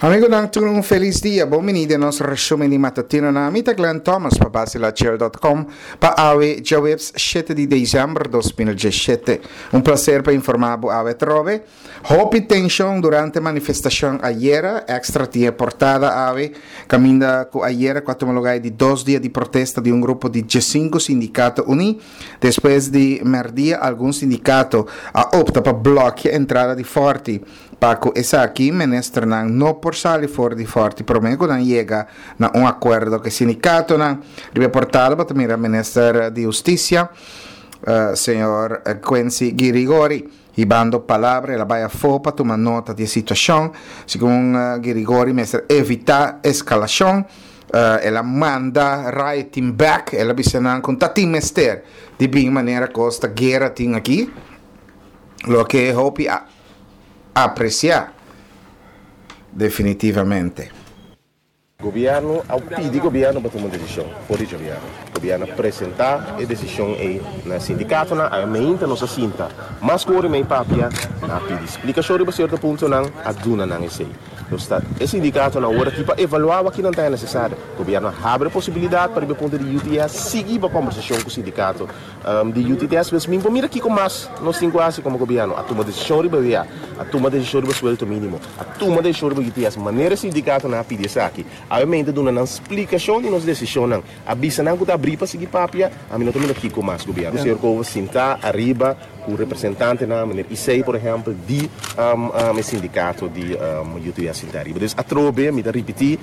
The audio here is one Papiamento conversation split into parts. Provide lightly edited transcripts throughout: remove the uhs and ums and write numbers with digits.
Amigonan tur un felis dia, bon bini den nos resumen di matutinonan. Mi ta Glenn Thomas pa Basilachel.com pa awe djaweps shete di december 2017. Un placer pa informa bo awe atrobe. Hopi tension durante manifestacion ayera, Extra tin e portada awe, caminda cu ayera cu a tuma lugar e di dos dia di protesta di un grupo di diescinco sindicato uni. Despues di merdia algun sindicato a opta pa blokia entrada di Forti. Pa ku esaki ministernan no por sali for di Fòrti promé ku nan yega na un akuerdo ku e sindikatonan. Riba e portal bo ta mira minister di Hustisia, señor Quincy Girigori, hibando palabra. El a bai afó pa tuma nota di e situashon. Segun Girigori mester evitá eskalashon. El a manda riot team bèk. El a bisa nan ku ta tin mester di bin manera kos ta guera tin aki. Loke hopi a apreciá definitivamente. Gobierno a pidi gobierno pa tuma un decision for di djabièrnè. Gobierno a presenta e decision ei na e sindicatonan. Awe meinta nos a sinta mas cu ora y mei papia, nan a pidi splicacion riba cierto puntonan, a duna nan esei. Nos ta e sindicatonan awor aki pa evalua wak kinan ta e necesario. Gobierno a habri e posibilidad pa riba e punto di UTS sigui bo combersacion cu sindicato. Di UTTS mes mi por mira kiko mas nos tin ku hasi komo gobièrnu. A tuma desishon riba WA, a tuma desishon riba suelto mínimo, a tuma desishon riba UTS. Manera e sindikatonan a pidi esaki, awemente duna nan splikashon di nos desishonnan, a bisa nan ku ta abrí pa sigui papia. Ami no ta mira kiko mas gobièrnu. Señor Cova sintá ariba ku representantenan, meneer Isei por ehèmpel di e sindikato di UTS sintá ariba. Dus atrobe mi ta ripití,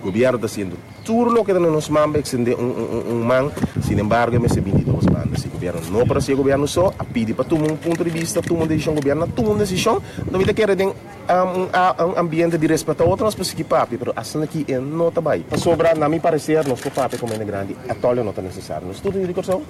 gobièrnu ta hasiendo. Tur loke ta na nos man pa extende un man, sin embargo e mester bin di dos banda. Si gobierno no por haci e gobierno so a pidi pa tuma un punto di bista, tuma un decision, gobierno a tuma un decision, anto mi ta kere den un ambiente di respeta otro nos por sigui papia, pero asina aki e no ta bay. Pasobra na mi parecer nos por papia como hende grandi, atol e no ta necesario. Nos tur ta yu di Corsou.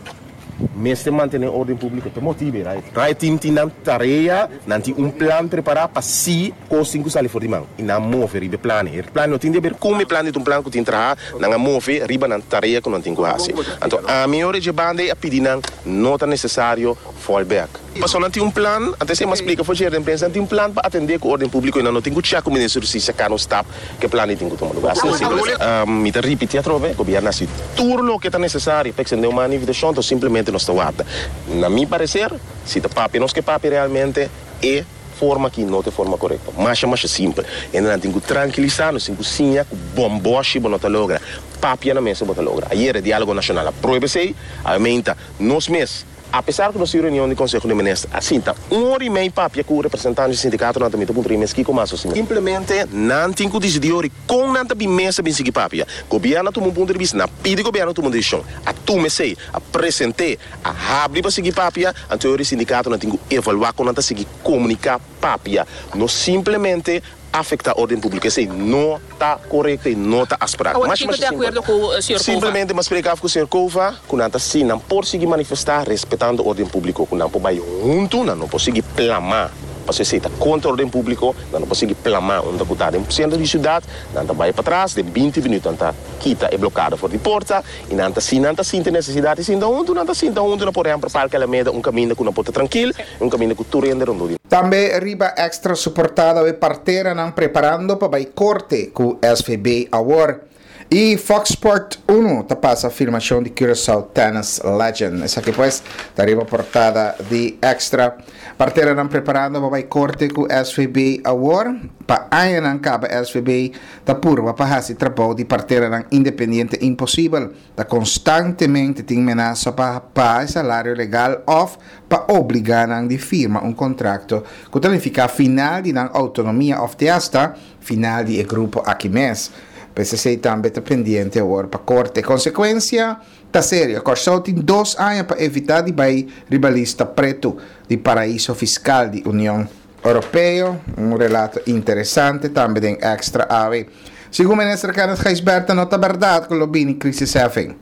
Mester mantene orden publico ta motibe right. Riot team tin nan tarea, nan tin un plan prepara pa si cos tin cu sali for di man y nan move riba e plan. E plan no tin di haber con e plan di ta un plan cu tin traha, nan a move riba nan tarea cu nan tin cu haci. Anto ami ora dje banda ey a pidi nan no ta necesario fall back. Pasobra nan tin un plan, anto esey mi a splica for dje den prensa, nan tin un plan pa atende cu orden publico y nan no tin cu check cu Minister di Husticia cana un stap cu e plan ey tin cu tuma lugar. Asina simpel esey. Mi ta ripiti atrobe, Gobierno a haci tur loke ta necesario pa extende un man invitacion, anto simplemente nos ta warda. Na mi parecer, si ta papia nos ke papia realmente, e forma aki no ta e forma corecto. Masha masha simpel. Hendenan tin cu trankilisa, nos tin cu siña cu bomboshi bo no ta logra, papia na mesa bo ta logra. Ayer e Dialogo Nacional a prueba esey, awe meinta nos mes, Apesar ku nos tin reunion di Konseho di Minister a sinta un ora i mei papia ku representantes di sindikatonan ta mi ta puntra i mes kiko mas osina. Simplemente nan tin ku disidí ora i kon nan ta bin mesa bin sigui papia. Gobièrnu a tuma un punto di bista, nan a pidi gobièrnu tuma un desishon, a tuma esei, a present'é, a habri pa sigui papia, anto e ora i sindikatonan tin ku evaluá kon nan ta sigui komuniká papia. No simplemente afecta orden publico esey no ta corecto y no ta afspraak. Awor Mas kiko masha de simpel. acuerdo cu señor Cova? Simplemente mas spreek af cu señor Cova cu nan ta si nan por sigui manifesta respetando orden publico cu nan por bay hunto nan no por sigui plama pasobra esey ta contra orden publico nan no por sigui plama unda cu ta den centro di ciudad nan ta bay patras den binti minuut nan ta kita e blokada for di porta y nan ta si nan ta sinti necesidad di sinta hunto nan ta sinta hunto na por ehempel Parke Alameda un caminda cu nan por ta trankil y un caminda cu tur hende rondó di. Tambe riba Extra su portada awe parteranan preparando pa bai korte ku SVB awor. I Fox Sport Uno ta pasa filmashon di Curaçao Tennis Legend. Esaki pues ta riba portada di Extra. Parteranan preparando pa bai korte ku SVB awor. Pa añanan kaba SVB ta purba pa hasi trabou di parteranan independiente imposibel. Ta konstantemente tin menasa pa paga e salario legal òf pa obligá nan di firma un kontrakto ku ta nifiká final di nan outonomia òf te asta final di e grupo aki mes. Pues esei tambe ta pendiente awor pa korte. Konsekuensia ta serio. Kòrsou tin dos aña pa evitá di bai riba lista pretu di paraiso fiskal di Union Europeo, un relato interesante tambe den Extra awe. Segun Minister Kenneth Gijsbertha no ta berdad cu lo bini crisisheffing,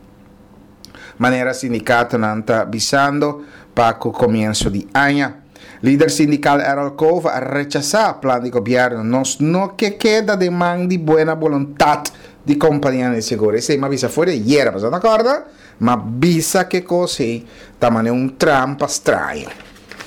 manera sindicatonan ta bisando pa cu comienso di aña. Lider sindical Errol Cova a rechasa plan di gobierno. Nos no ke keda den man di buena boluntad di companianan di seguro. Esey m'a bisa for di ayera, boso no ta corda? M'a bisa ke cos ey ta mane un trampa straño.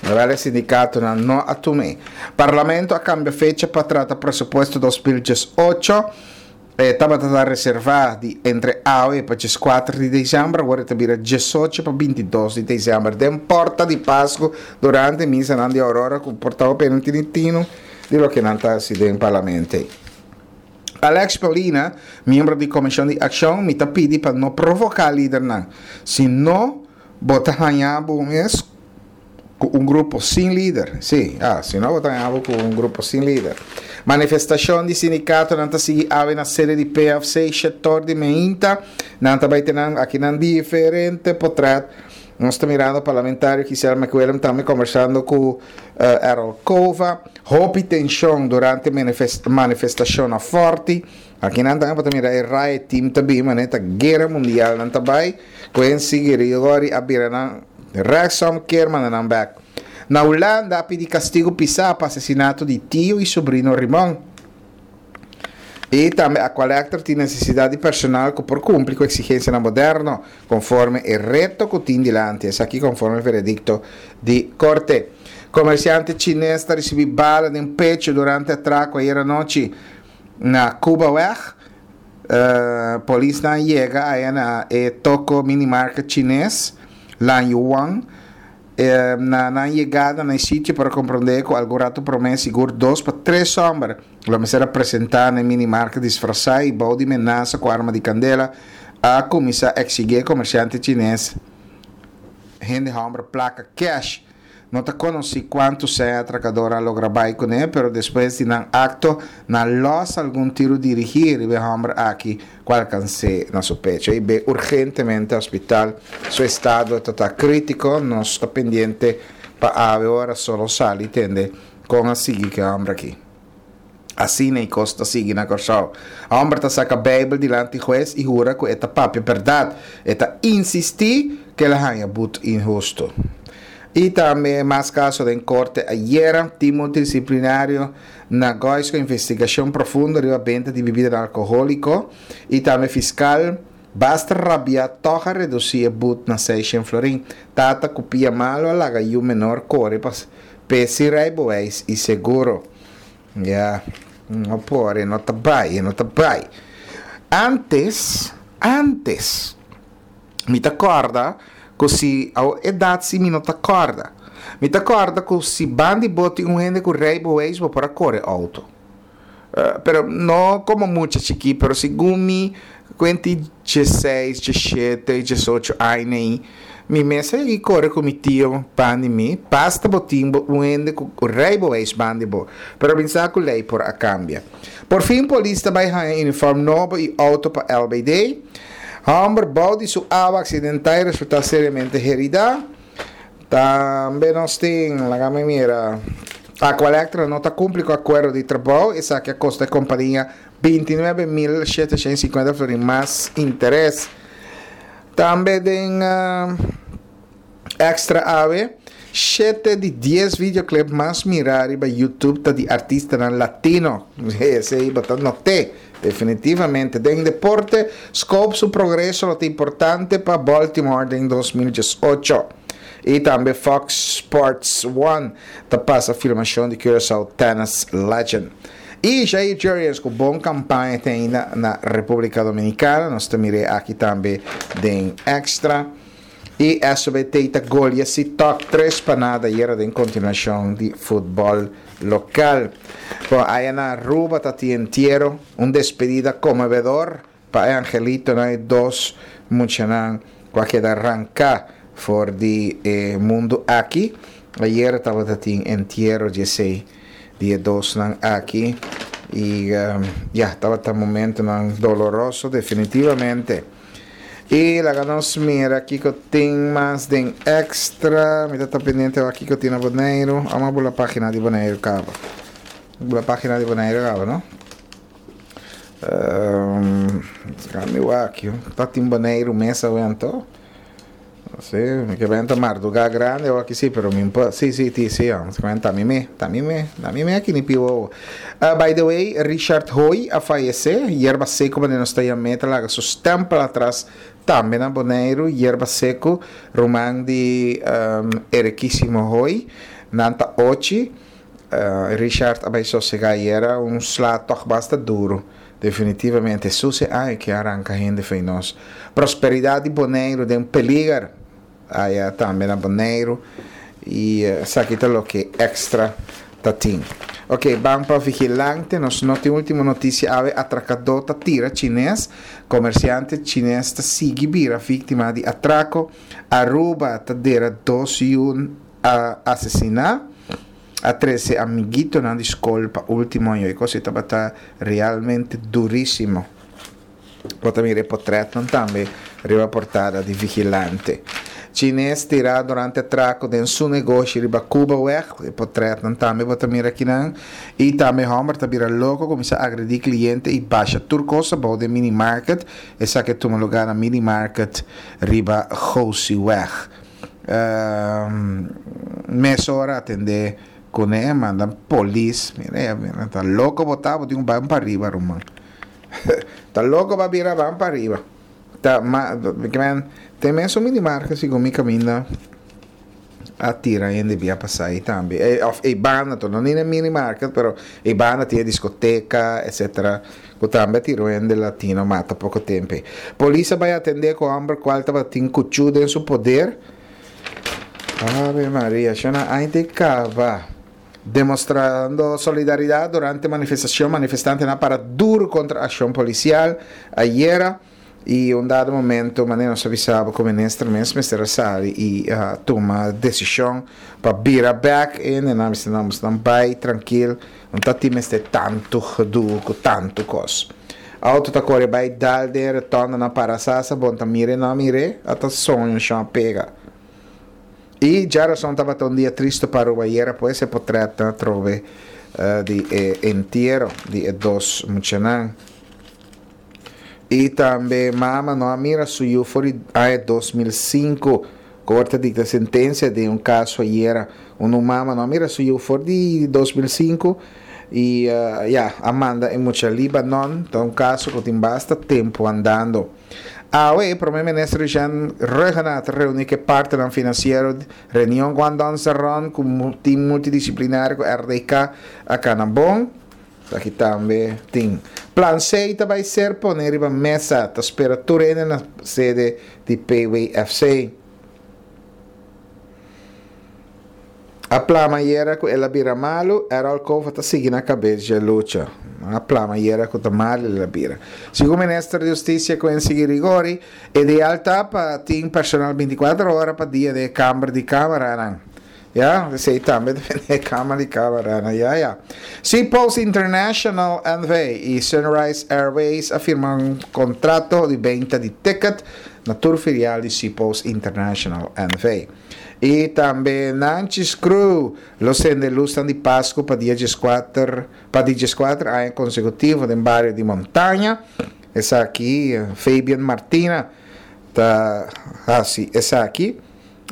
Wel e sindikatonan no a tum'é. Parlamento a kambia fecha pa trata presupuesto 2018. E tabata ta reservá di entre awe pa 14 di desèmber, awor e ta bira 18 pa 22 di desèmber. Den porta di Pasku durante misanan di Aurora ku por ta hopi no tini tinu di loke nan ta hasi den parlamento ei. Alex Paulina, miembro di Komishon di Akshon, Mi ta pidi pa no provoká lidernan. Si no, bo ta haña bo mes ku un grupo sin lider. Sí, ah, si no bo ta haña bo ku un grupo sin lider. Manifestashon di sindikatonan ta sigui awe na sede di PFC shetor di meinta. Nan ta bai tene akinan diferente potrèt. Nos ta mirando parlamentario Giselle McWilliam tambe kombersando ku Errol Cova. Hopi tenshon durante manifestashon na Forti. Akinan tambe bo ta mira e riot team ta bin manera ta guera mundial nan ta bai. Quincy Girigory a bira nan rechtsom keer manda nan bek. Na Hulanda a pidi kastigu pisá pa asesinato di tio i sobrino Rimon. I tambe Aqualectra tin nesesidat di personal ku por kumpli ku eksigensianan moderno, konforme e reto ku tin dilanti, esaki konforme veredikto di korte. Komersiante chines ta risibí bala den pechu durante atrako ayer anochi na Cubaweg. Polisnan yega aya na e toko minimarket chines Lan Yuan. Na nan yegada na e sitio por a komprondé ku algun ratu promé sigur dos pa tres hòmber lo mester a presentá na e minimarket disfrasá i bou di menasa ku arma di kandela a kuminsá eksigí e komersiante chines hende hòmber plaka kèsh. No ta konosí kuantu sèn e atrakador a logra bai kuné, pero despues di nan akto, nan lòs algun tiru dirigí riba e hòmber aki ku alkans'é na su pecho i be urgentemente hospital. Su estado ta ta krítiko. Nos ta pendiente pa awe ora solo sali tende kon a sigui ku e hòmber aki. Asina e kos ta sigui na Kòrsou. Hòmber ta saka Beibel dilanti hues i hura ku e ta papia bèrdat. E ta insistí ku el a haña but inhustu. I tambe mas kaso den korte ayera. Tim multidisiplinario na Gois ku investigashon profundo riba benta di bibidanan alkohóliko i tambe fiskal basta rabiá tòg a redusí e but na seishen florin. Tata ku pia malu a laga yu menor kore pa p'e sin rijbewijs i seguro. Ya, no por, e no ta bai, e no ta bai. Antes, antes, mi ta kòrda ku si, awo edat si mi no ta kòrda. Mi ta kòrda ku si ban di bo tin un hende ku rijbewijs bo por a kore outo. Pero no komo mucha chikí, pero segun mi kuenti dieseis, diesshete, diesocho aña ei, mi mes a yega kore ku mi tio ban di mi, basta bo tin bo un hende ku rijbewijs ban di bo. Pero mi sa ku lei por a kambia. Por fin polis ta bai haña uniform nobo i outo pa LBD. Hòmber bou di su awa aksidentá i resultá seriamente heridá. Tambe nos tin, laga mi mira, Aqualectra no ta kumpli ku akuerdo di trabou, esaki a kosta e kompania 29.750 florin mas interes. Tambe den Extra awe, shete di dies videoclip mas mirá riba YouTube ta di artistanan latino. Esei bo ta not'é, definitivamente. Den deporte, Scope su progreso lo ta importante pa Baltimore den 2018. I tambe Fox Sports One ta pasa filmashon di Curaçao Tennis Legend. I Jair Jurrjens ku bon kampaña te ainda na Repúblika Dominikana. Nos ta mir'é aki tambe den Extra. I SOBT ta golia si tok tres pa nada ayera den kontinuashon di futbòl lokal. Bon, aya na Aruba ta tin entiero, un despedida konmovedor pa e angelitonan, e dos muchanan ku a keda ranká for di e mundu aki. Ayera tabata tin entiero di esei di e dosnan aki i ya, tabata momentonan doloroso definitivamente. I laga nos mira kiko tin mas den extra. Mi ta ta pendiente wak kiko tin na Boneiru. Amo a bula pagina di Boneiru kaba. Bula pagina di Boneiru kaba, no? Um, mi wak, ta tin Boneiru mes awe anto. Sí, mi ke benta mardugá grande o aki sí, pero mi pa, sí, sí, ti, sí, ah, ta mi me, ta mi me, ta mi me aki ni pi wowo. Uh, by the way, Richard Hoy a fayesé, Yerba Seco manera nos ta yam'é ta laga su stempel atras tambe na Boneiru, Yerba Seco, ruman di um, Erikísimo Hoy. Nan ta ochi. Richard a bai sosegá ayera, un sla tòg basta duru. Definitivamente, Hesus e aña ke a ranka hende fei nos. Prosperidat di Boneiru den peliger. Aya tambe na Boneiru. I esaki ta loke Extra ta tin. Ok, ban pa Vigilante. Nos no tin ultimo notisia awe. Atrakadó ta tira chines. Komersiante chines ta sigui bira víktima di atrako. Aruba ta dera dos yu a asesiná. A trese amiguitonan di skol pa último año. E kos ei tabata realmente durísimo. Bo ta mira e potretnan tambe riba portada di Vigilante. Chines tirá durante atrako den su negoshi riba Cubaweg. E potretnan tambe bo ta mira akinan. I tambe hòmber ta bira loko, kuminsá agredí kliente i basha tur kos abou den minimarket. Esaki a tuma lugá na minimarket riba Gosieweg. Mesora atendé kuné, manda polis. Mira, mira, ta loko bo ta, bo tin ku bai un pariba ruman. Ta loko ba bira ban pa riba. Ta ma men te mesun minimarket segun mi kaminda a tira hende bia pasa ei tambe. E of e banda to no ni na minimarket pero e banda tin e diskoteka etcetera ku tambe a tira un hende latino mata poko tempo ei. Polis a bai atende ku homber kual tabatin kuchu den su poder. Ave Maria shona ai te kaba. Demostrando solidaridad durante manifestacion, manifestantenan a para duro contra accion policial ayera y un dado momento manera nos a bisa bo cu minister mes mester a sali y a tuma decision pa bira bek e hendenan mester nan mester nan bay trankil no ta tin mester tanto gedoe cu tanto cos. Auto ta core bay dal den rotonda nan para sasa bon ta mire no a mire ata soño shon a pega. I djarason tabata un dia tristu pa Aruba ayera pues e potretnan atrobe di e entiero di e dos muchanan. I tambe mama no a mira su yu for di aña 2005. Korte a dikta sentensia den un kaso ayera unda un mama no a mira su yu for di 2005 i ya a manda e mucha Libanon. Ta un kaso ku tin basta tempu andando. Awe, Prome Minister Jean Rhuggenaath ta reuni ku e partenan finansiero reunion Guandong Saron ku tim multidisiplinario ku RDK a kana bon. Esaki tambe tin. Plan C ta bai ser pone riba mesa. Ta spera tur hende na sede di PWFC. A plama ayera ku el a bira malu, Errol Cova ta sigui na kabes dje lucha. A plama ayera ku ta malu el a bira. Segun Minister di Hustisia Quincy Girigori, ideal ta pa tin personal bintikuater ora pa dia den e kamber di kameranan. Ya, esei tambe ta bini e kamber di kameranan, ya ya. Seapost International NV i Sunrise Airways a firma un kontrato di benta di ticket na tur filial di Seapost International NV. I tambe Nanchi's Crew lo sende lusnan di Pasku pa dia dieskuater pa di dieskuater aña konsekutivo den bario di Montaña. Esaki Fabian Martina ta hasi esaki.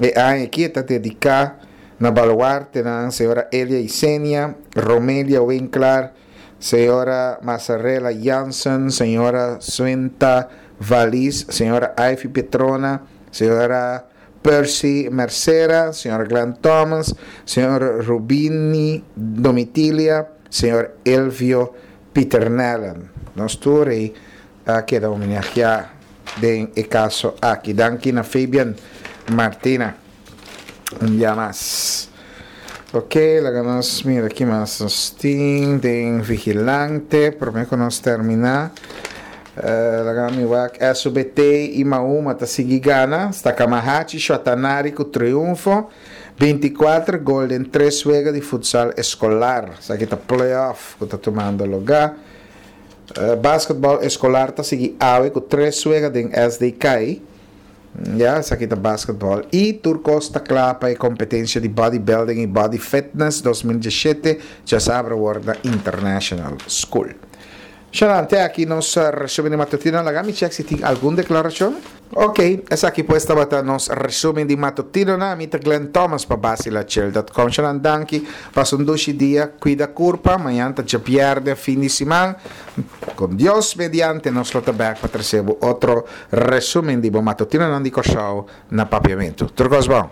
E aña aki e ta dediká na baluartenan señora Elia Isenia, Romelia Winklar, señora Mazarella Jansen, señora Swinta Valis, señora Ivy Petrona, señora Percy Mercera, señor Glenn Thomas, señor Rubini Domitilia, señor Elvio Pieternellen. Nos tur ei a keda homenageá den e kaso aki. Danki na Fabian Martina un bia mas. Ok, laga nos mira ki mas nos tin den Vigilante prome ku nos terminá. Laga mi wak SUBT i Mahuma ta sigui gana. Stakamahachi Shuatanari ku triunfo. 24 gol den tres wega di futsal eskolar. Esaki ta playoff ku ta tumando lugá. Basketball eskolar ta sigui awe ku tres wega den SDK. Ya, esaki ta basketball. I tur kos ta kla pa e kompetensia di bodybuilding i body fitness 2017 djasabra wòrdu na International School. Shanan, te aki nos resumen di matutino. Laga mi chek si tin algun deklarashon. Ok, esaki pues tabata nos resumen di matutinonan. Mi ta Glenn Thomas pa Basilachel dot com. Shanan, danki. Pasa un dushi dia. Kuida kurpa. Mañan ta djabièrnè, fin di siman. Kon Dios mediante nos lo ta bèk pa trese bo otro resumen di bo matutinonan di Kòrsou na Papiamentu. Tur kos bon.